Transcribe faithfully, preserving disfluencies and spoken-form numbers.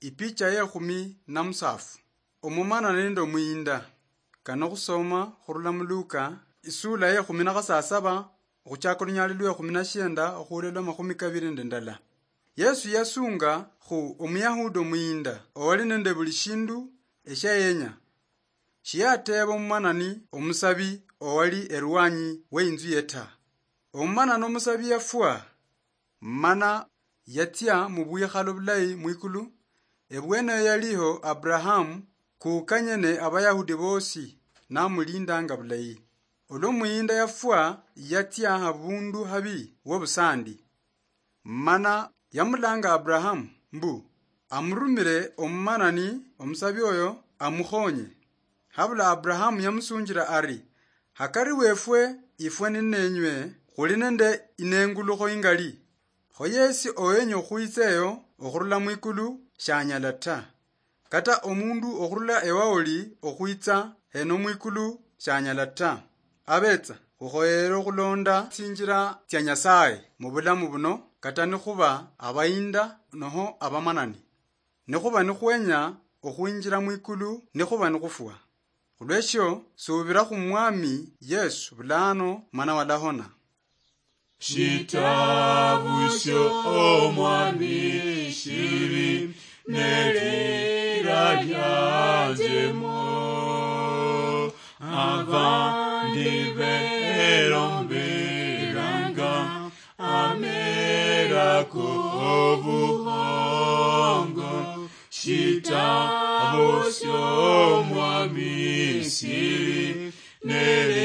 Ipicha ye khumi na musafu. Omumana nende omuyinda. Kano khusoma khurula mu Luka, isula ye khumi na khasasaba, okhuchaka olunyali lwe khumi na shienda okhuula lwa makhumi kabiri nende ndala. Yesu yasunga khu Omuyahudi omuyinda owali nende buli shindu eshia yenya. Shiyateeba omumanani omusabi owali erwanyi we inzu ye ta. Omumanani omusabi yafwa, mana yatsia mu bwikhalo bulayi mwikulu. Ebweneyo yaliho Abrahamu, kukanye ne Abayahudi bosi, namulindanga bulayi. Olwo muyinda yafwa, yatsia habundu habi wobusandi. Mana yamulanga Abrahamu mbu amurumire omumanani omusabi oyo amukhonye. Habula Abrahamu yamusunjira ari, "Hakari wefwe ifwe ninenywe khuli nende inengulukho ingali. Kho yesi owenya okhwitsa eyo okhurula mwikulu shanyala ta. Kata omundu okhurula ewaoli okhwitsa heno mwikulu shanyala ta. Abetsa khukhoyere okhulonda tsinjira tsia Nyasaye mu bulamu buno, kata nikhuba abayinda noho abamanani. Nikhuba nikhwenya okhwinjira mwikulu, nikhuba nikhufwa. Khulweshio, subira khu Mwami Yesu bulano, mana walahona." Shitabu sho Omwami shili nelira lyanjemo, abandi belombelanga amera kobuhongo. Shitabu sho Omwami shili nelira